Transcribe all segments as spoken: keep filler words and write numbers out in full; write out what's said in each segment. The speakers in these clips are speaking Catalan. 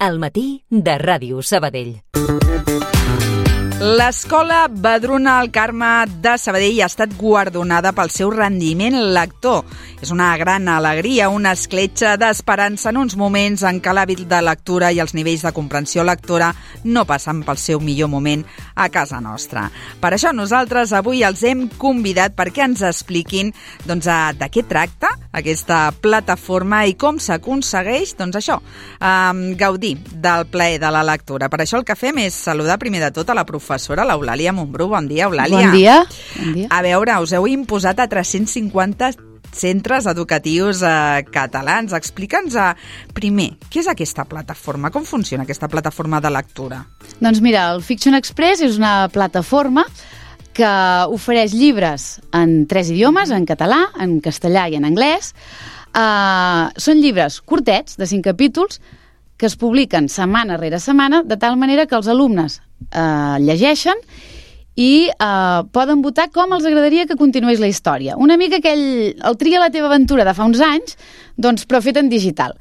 Al matí de Ràdio Sabadell. L'Escola Vedruna al Carme de Sabadell ha estat guardonada pel seu rendiment lector. És una gran alegria, una escletxa d'esperança en uns moments en què l'hàbit de lectura i els nivells de comprensió lectora no passen pel seu millor moment a casa nostra. Per això nosaltres avui els hem convidat perquè ens expliquin doncs, de què tracta aquesta plataforma i com s'aconsegueix doncs, això, eh, gaudir del plaer de la lectura. Per això el que fem és saludar primer de tot a la professora professora l'Eulàlia Montbrú. Bon dia, Eulàlia. Bon dia. Bon dia. A veure, us heu imposat a tres-cents cinquanta centres educatius eh, catalans. Explica'ns eh, primer, què és aquesta plataforma? Com funciona aquesta plataforma de lectura? Doncs mira, el Fiction Express és una plataforma que ofereix llibres en tres idiomes, en català, en castellà i en anglès. Uh, són llibres curtets, de cinc capítols, que es publiquen setmana rere setmana, de tal manera que els alumnes eh, llegeixen i eh, poden votar com els agradaria que continués la història. Una mica aquell, el Tria la teva aventura de fa uns anys, doncs, però fet en digital.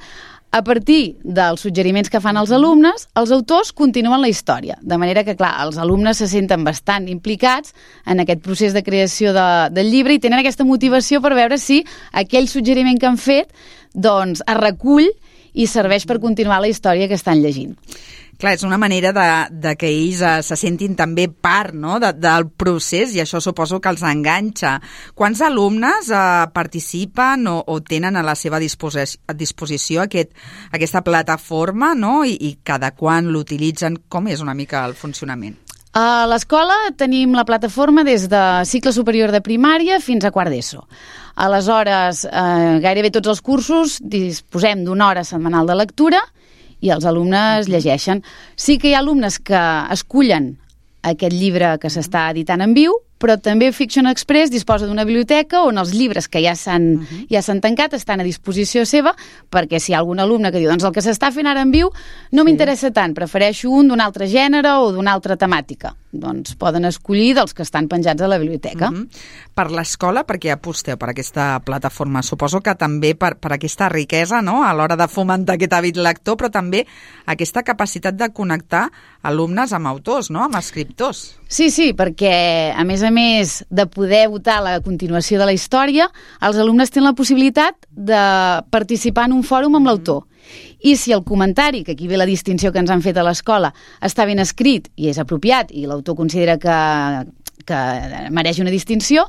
A partir dels suggeriments que fan els alumnes, els autors continuen la història. De manera que, clar, els alumnes se senten bastant implicats en aquest procés de creació de, del llibre i tenen aquesta motivació per veure si aquell suggeriment que han fet doncs, es recull i serveix per continuar la història que estan llegint. Clar, és una manera de, de que ells eh, se sentin també part, no?, de, del procés, i això suposo que els enganxa. Quants alumnes eh, participen o, o tenen a la seva disposi- a disposició aquest, aquesta plataforma, no?, I, i cada quan l'utilitzen? Com és una mica el funcionament? A l'escola tenim la plataforma des de cicle superior de primària fins a quart d'ESO. Aleshores, eh, gairebé tots els cursos disposem d'una hora setmanal de lectura i els alumnes llegeixen. Sí que hi ha alumnes que escullen aquest llibre que s'està editant en viu, però també Fiction Express disposa d'una biblioteca on els llibres que ja s'han, uh-huh. ja s'han tancat estan a disposició seva, perquè si hi ha algun alumne que diu doncs el que s'està fent ara en viu no sí. m'interessa tant, prefereixo un d'un altre gènere o d'una altra temàtica. Doncs poden escollir dels que estan penjats a la biblioteca. Uh-huh. Per l'escola, per què aposteu per aquesta plataforma? Suposo que també per, per aquesta riquesa, no?, a l'hora de fomentar aquest hàbit lector, però també aquesta capacitat de connectar alumnes amb autors, no?, amb escriptors. Sí, sí, perquè a més a més de poder votar la continuació de la història, els alumnes tenen la possibilitat de participar en un fòrum amb l'autor. I si el comentari, que aquí ve la distinció que ens han fet a l'escola, està ben escrit i és apropiat i l'autor considera que, que mereix una distinció,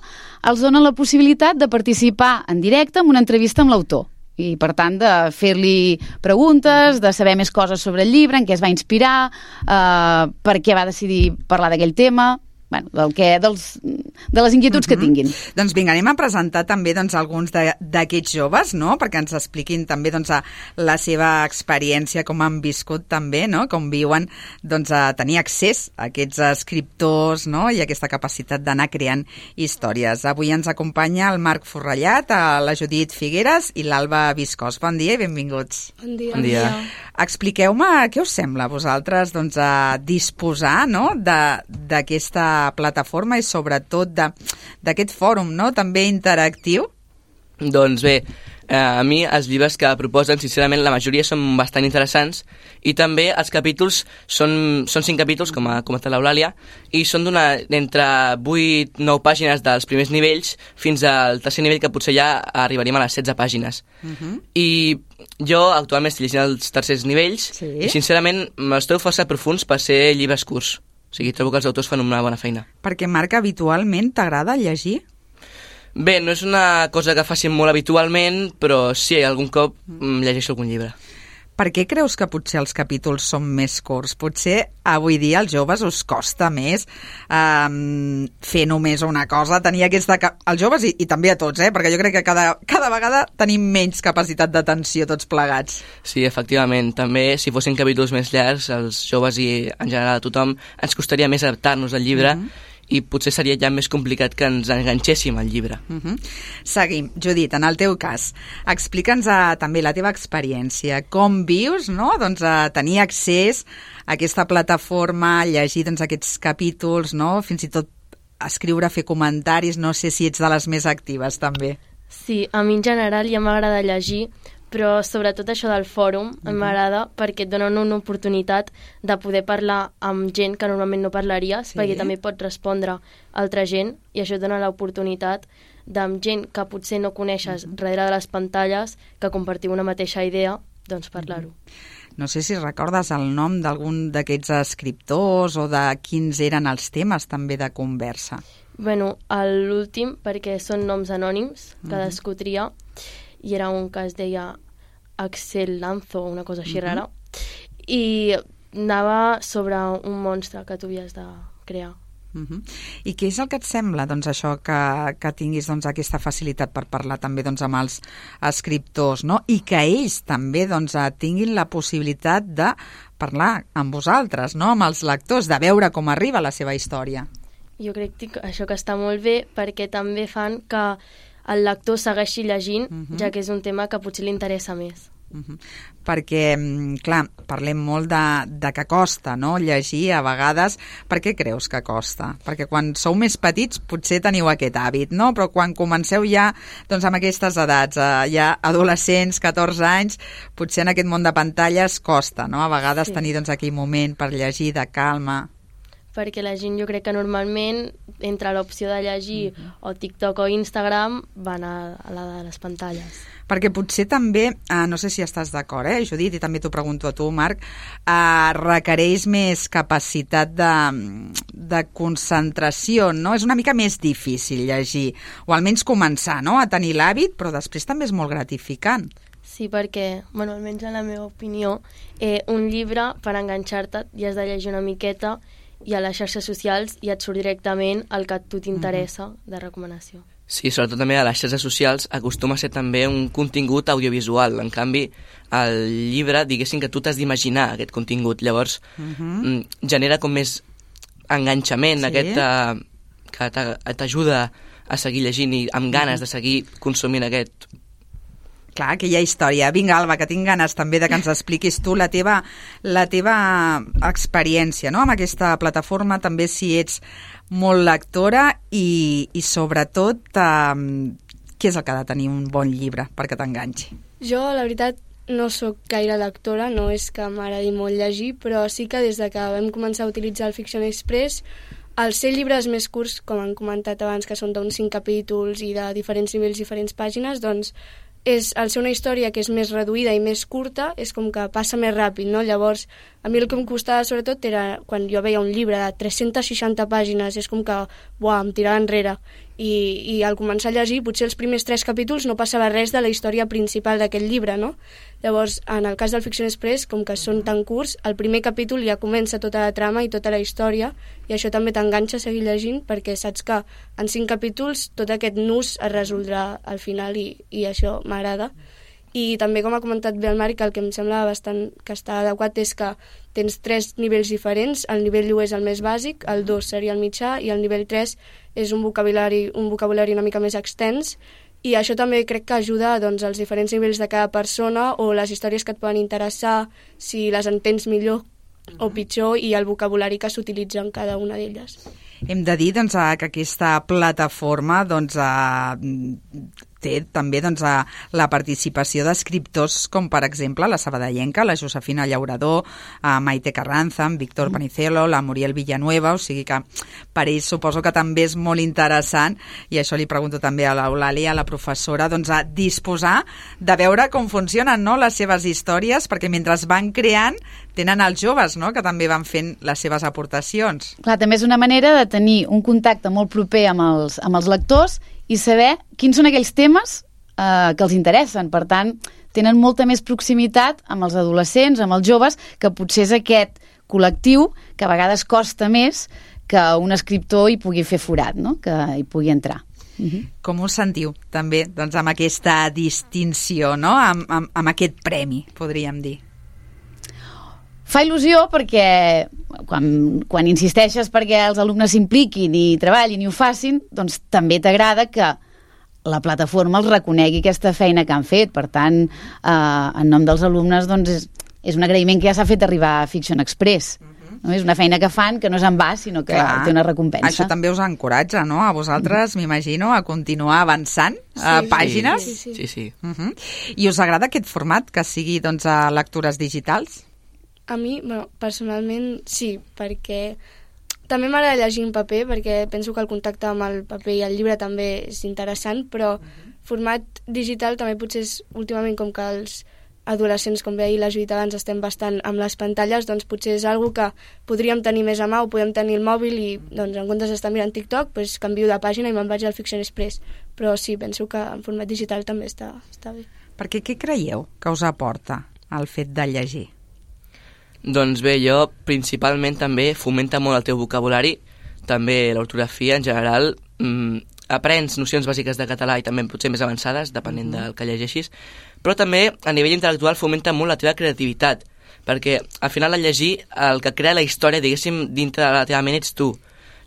els donen la possibilitat de participar en directe en una entrevista amb l'autor. I, per tant, de fer-li preguntes, de saber més coses sobre el llibre, en què es va inspirar, eh, per què va decidir parlar d'aquell tema... Bueno, del que, dels, de les inquietuds uh-huh. que tinguin. Doncs vinga, anem a presentar també doncs, alguns de, d'aquests joves, no?, perquè ens expliquin també doncs, a la seva experiència, com han viscut també, no?, com viuen doncs, a tenir accés a aquests escriptors, no?, i aquesta capacitat d'anar creant històries. Avui ens acompanya el Marc Forrellat, la Judit Figueres i l'Alba Viscós. Bon dia i benvinguts. Bon dia. Bon dia. Expliqueu-me què us sembla a vosaltres doncs, a disposar, no?, de, d'aquesta plataforma i sobretot de, d'aquest fòrum, no?, també interactiu. Doncs bé, eh, a mi els llibres que proposen, sincerament, la majoria són bastant interessants i també els capítols són, són cinc capítols, com ha comentat l'Eulàlia, i són d'una, d'entre vuit nou pàgines dels primers nivells fins al tercer nivell, que potser ja arribaríem a les setze pàgines. Uh-huh. I jo actualment estic llegint els tercers nivells sí. i sincerament els trobo força profuns per ser llibres curts. O sigui, trobo que els autors fan una bona feina. Perquè, Marc, habitualment t'agrada llegir? Bé, no és una cosa que facin molt habitualment, però sí, algun cop llegeixo algun llibre. Per què creus que potser els capítols són més curts? Potser avui dia als joves us costa més um, fer només una cosa, tenir aquesta... als joves i, i també a tots, eh? Perquè jo crec que cada, cada vegada tenim menys capacitat d'atenció tots plegats. Sí, efectivament. També, si fossin capítols més llargs, els joves i en general a tothom, ens costaria més adaptar-nos al llibre, mm-hmm. i potser seria ja més complicat que ens enganxéssim al llibre. Uh-huh. Seguim. Judit, en el teu cas, explica'ns a, també la teva experiència. Com vius, no?, doncs, a tenir accés a aquesta plataforma, a llegir doncs, aquests capítols, no?, fins i tot escriure, fer comentaris. No sé si ets de les més actives, també. Sí, a mi en general ja m'agrada llegir, però sobretot això del fòrum uh-huh. m'agrada perquè et donen una oportunitat de poder parlar amb gent que normalment no parlaries, sí. perquè també pots respondre a altra gent i això et dona l'oportunitat d'amb gent que potser no coneixes uh-huh. darrere de les pantalles, que compartiu una mateixa idea, doncs parlar-ho. Uh-huh. No sé si recordes el nom d'algun d'aquests escriptors o de quins eren els temes també de conversa. Bueno, l'últim, perquè són noms anònims, cadascú tria, i era un que es deia Axel Lanzo, una cosa així uh-huh. rara, i anava sobre un monstre que tu havies de crear. Uh-huh. I què és el que et sembla, doncs, això que, que tinguis doncs, aquesta facilitat per parlar també doncs, amb els escriptors, no? I que ells també doncs, tinguin la possibilitat de parlar amb vosaltres, no? Amb els lectors, de veure com arriba la seva història? Jo crec que això que està molt bé perquè també fan que el lector segueixi llegint, uh-huh. ja que és un tema que potser li interessa més. Uh-huh. Perquè, clar, parlem molt de, de que costa, no?, llegir a vegades. Per què creus que costa? Perquè quan sou més petits potser teniu aquest hàbit, no? Però quan comenceu ja doncs, amb aquestes edats, eh, ja adolescents, catorze anys, potser en aquest món de pantalles costa, no?, a vegades sí. tenir doncs, aquell moment per llegir de calma. Perquè la gent, jo crec que normalment entre l'opció de llegir uh-huh. o TikTok o Instagram van a, a la de les pantalles. Perquè potser també, eh, no sé si estàs d'acord, eh, Judit, i també t'ho pregunto a tu, Marc, eh, requereix més capacitat de, de concentració, no? És una mica més difícil llegir, o almenys començar, no?, a tenir l'hàbit, però després també és molt gratificant. Sí, perquè, bueno, almenys en la meva opinió, eh, un llibre, per enganxar-te, ja has de llegir una miqueta, i a les xarxes socials ja et surt directament el que a tu t'interessa de recomanació. Sí, sobretot també a les xarxes socials acostuma a ser també un contingut audiovisual. En canvi, el llibre, diguéssim que tu t'has d'imaginar aquest contingut. Llavors, uh-huh. genera com més enganxament, sí. aquest uh, que t'ajuda a seguir llegint i amb ganes uh-huh. de seguir consumint aquest. Clar, aquella història. Vinga, Alba, que tinc ganes també de que ens expliquis tu la teva, la teva experiència, no?, amb aquesta plataforma, també si ets molt lectora i, i sobretot, eh, què és el que ha de tenir un bon llibre perquè t'enganxi? Jo, la veritat, no sóc gaire lectora, no és que m'agradi molt llegir, però sí que des de que vam començar a utilitzar el Fiction Express, els ser llibres més curts, com han comentat abans, que són d'uns cinc capítols i de diferents nivells, diferents pàgines, doncs és, al ser una història que és més reduïda i més curta, és com que passa més ràpid, no? Llavors, a mi el que em costava sobretot era quan jo veia un llibre de tres-centes seixanta pàgines, és com que, buah, em tirava enrere. I, i al començar a llegir, potser els primers tres capítols no passava res de la història principal d'aquest llibre, no? Llavors, en el cas del Fiction Express, com que són tan curts, el primer capítol ja comença tota la trama i tota la història, i això també t'enganxa a seguir llegint, perquè saps que en cinc capítols tot aquest nus es resoldrà al final, i, i això m'agrada. I també, com ha comentat bé el Marc, el que em sembla bastant que està adequat és que tens tres nivells diferents. El nivell u és el més bàsic, el dos seria el mitjà i el nivell tres és un vocabulari, un vocabulari una mica més extens, i això també crec que ajuda doncs, als diferents nivells de cada persona o les històries que et poden interessar, si les entens millor o pitjor, i el vocabulari que s'utilitza en cada una d'elles. Hem de dir doncs, que aquesta plataforma doncs, té també doncs, la participació d'escriptors com, per exemple, la sabadellenca, la Josefina Llaurador, Maite Carranza, Víctor Panicelo, la Muriel Villanueva, o sigui que per ells suposo que també és molt interessant, i això li pregunto també a l'Eulàlia, a la professora, doncs, a disposar de veure com funcionen, no?, les seves històries, perquè mentre es van creant tenen els joves, no?, que també van fent les seves aportacions. Clar, també és una manera de tenir un contacte molt proper amb els, amb els lectors i saber quins són aquells temes eh, que els interessen. Per tant, tenen molta més proximitat amb els adolescents, amb els joves, que potser és aquest col·lectiu que a vegades costa més que un escriptor hi pugui fer forat, no?, que hi pugui entrar. Uh-huh. Com us sentiu, també, doncs, amb aquesta distinció, no?, amb, amb, amb aquest premi, podríem dir? Fa il·lusió perquè quan, quan insisteixes perquè els alumnes s'impliquin i treballin i ho facin, doncs també t'agrada que la plataforma els reconegui aquesta feina que han fet. Per tant, eh, en nom dels alumnes, doncs és, és un agraïment que ja s'ha fet arribar a Fiction Express. Uh-huh. No? És una feina que fan que no és en va, sinó que Clar. té una recompensa. Això també us encoratja, no?, a vosaltres, mm. m'imagino, a continuar avançant sí, a pàgines. Sí, sí. sí, sí. Uh -huh. I us agrada aquest format, que sigui doncs, a lectures digitals? A mi, bueno, personalment, sí, perquè també m'agrada llegir en paper, perquè penso que el contacte amb el paper i el llibre també és interessant, però uh -huh. format digital també potser és, últimament, com que els adolescents, com veia la Judit abans, estem bastant amb les pantalles, doncs potser és algo que podríem tenir més a mà, o podem tenir el mòbil i, doncs, en comptes d'estar mirant TikTok, doncs canvio de pàgina i me'n vaig al Fiction Express. Però sí, penso que en format digital també està, està bé. Perquè què creieu que us aporta el fet de llegir? Doncs bé, jo principalment també fomenta molt el teu vocabulari, també l'ortografia en general, mmm, aprens nocions bàsiques de català i també potser més avançades, depenent del que llegeixis, però també a nivell intel·lectual fomenta molt la teva creativitat, perquè al final al llegir el que crea la història, diguéssim, dintre de la teva ment ets tu.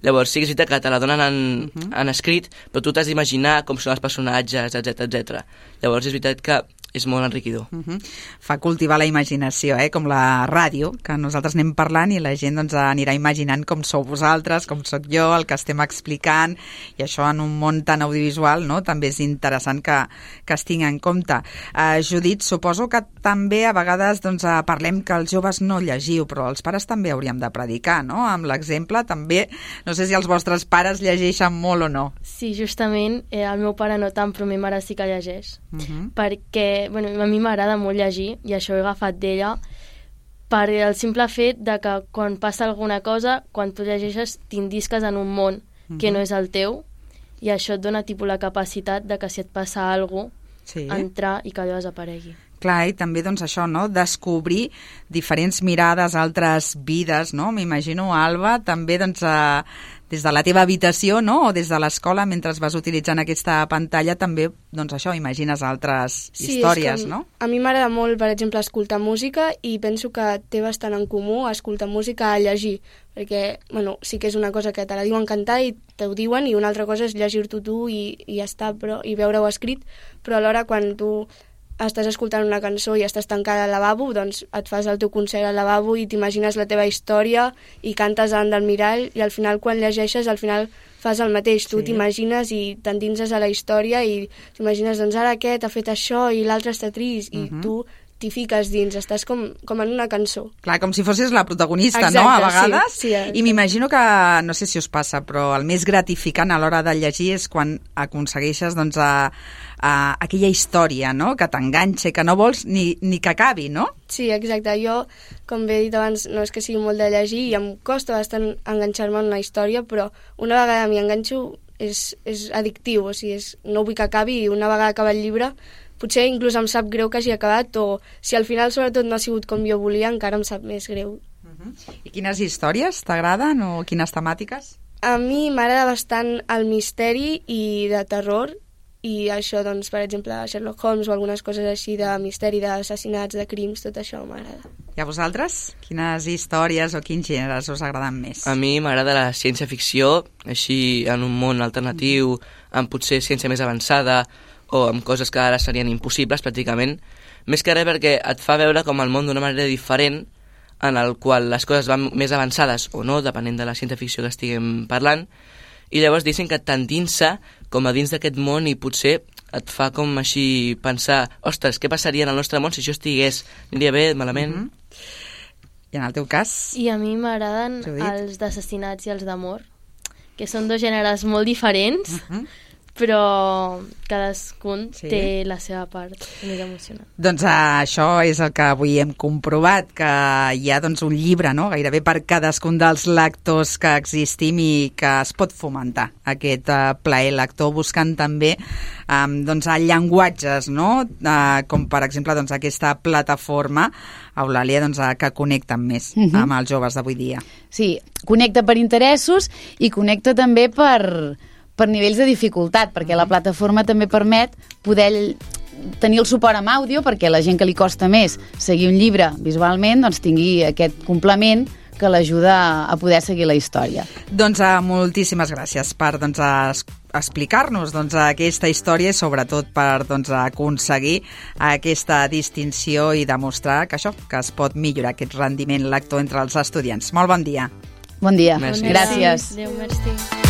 Llavors sí que és veritat que te la donen en, uh -huh. en escrit, però tu t'has d'imaginar com són els personatges, etcètera, etcètera. Llavors és veritat que és molt enriquidor. Uh -huh. Fa cultivar la imaginació, eh? Com la ràdio, que nosaltres anem parlant i la gent doncs, anirà imaginant com sou vosaltres, com sóc jo, el que estem explicant, i això en un món tan audiovisual, no?, també és interessant que, que es tingui en compte. Uh, Judit, suposo que també a vegades doncs, uh, parlem que els joves no llegiu, però els pares també hauríem de predicar, no?, amb l'exemple també. No sé si els vostres pares llegeixen molt o no. Sí, justament, eh, el meu pare no tant, però ma mare sí que llegeix, Uh -huh. perquè bueno, a mi m'agrada molt llegir i això ho he agafat d'ella per el simple fet de que quan passa alguna cosa, quan tu llegeixes t'indisques en un món uh-huh. que no és el teu i això et dona tipus la capacitat de que si et passa alguna cosa, sí. entrar i que allò desaparegui. Clar, i també doncs això, no?, descobrir diferents mirades, altres vides, no? M'imagino, Alba, també doncs eh, des de la teva habitació, no?, o des de l'escola, mentre vas utilitzant aquesta pantalla, també, doncs això, imagines altres sí, històries, com, no? A mi m'agrada molt, per exemple, escoltar música i penso que té bastant en comú escoltar música a llegir, perquè, bueno, sí que és una cosa que te la diuen cantar i te ho diuen, i una altra cosa és llegir-t'ho tu i, i ja està, però, i veure-ho escrit, però alhora quan tu estàs escoltant una cançó i estàs tancada al lavabo, doncs et fas el teu concert al lavabo i t'imagines la teva història i cantes davant del mirall, i al final quan llegeixes al final fas el mateix, tu sí. t'imagines i t'endinses a la història i t'imagines, doncs ara aquest ha fet això i l'altre està trist, i uh-huh. tu t'hi fiques dins, estàs com, com en una cançó. Clar, com si fossis la protagonista, exacte, no?, a vegades. Sí, sí, I m'imagino que, no sé si us passa, però el més gratificant a l'hora de llegir és quan aconsegueixes doncs, a, a aquella història, no?, que t'enganxa, que no vols ni, ni que acabi, no? Sí, exacte. Jo, com bé he dit abans, no és que sigui molt de llegir i em costa bastant enganxar-me en una història, però una vegada m'hi enganxo és, és addictiu, o sigui, és, no vull que acabi, i una vegada acaba el llibre potser inclús em sap greu que hagi acabat, o si al final sobretot no ha sigut com jo volia, encara em sap més greu. Uh-huh. I quines històries t'agraden o quines temàtiques? A mi m'agrada bastant el misteri i de terror, i això, doncs, per exemple, Sherlock Holmes o algunes coses així de misteri, d'assassinats, de crims, tot això m'agrada. I a vosaltres? Quines històries o quins gèneres us agraden més? A mi m'agrada la ciència-ficció, així en un món alternatiu, amb potser ciència més avançada, o amb coses que ara serien impossibles, pràcticament, més que res perquè et fa veure com el món d'una manera diferent, en el qual les coses van més avançades o no, depenent de la ciència-ficció que estiguem parlant, i llavors dicen que t'endinsa com a dins d'aquest món i potser et fa com així pensar, ostres, què passaria en el nostre món si això estigués? Aniria bé, malament? Mm-hmm. I en el teu cas? I a mi m'agraden els d'assassinats i els d'amor, que són dos gèneres molt diferents, mm-hmm. però cadascun sí. té la seva part més emocionant. Doncs uh, això és el que avui hem comprovat, que hi ha doncs, un llibre, no?, gairebé per cadascun dels lectors que existim, i que es pot fomentar aquest uh, plaer lector buscant també um, doncs, llenguatges, no?, uh, com per exemple doncs, aquesta plataforma, Eulàlia, doncs, uh, que connecten més uh-huh. amb els joves d'avui dia. Sí, connecta per interessos i connecta també per... per nivells de dificultat, perquè la plataforma també permet poder tenir el suport amb àudio, perquè la gent que li costa més seguir un llibre visualment doncs tingui aquest complement que l'ajuda a poder seguir la història. Doncs uh, moltíssimes gràcies per doncs, uh, explicar-nos doncs, aquesta història i sobretot per doncs, aconseguir aquesta distinció i demostrar que això, que es pot millorar aquest rendiment lector entre els estudiants. Molt bon dia. Bon dia. Merci. Gràcies. Adéu, merci.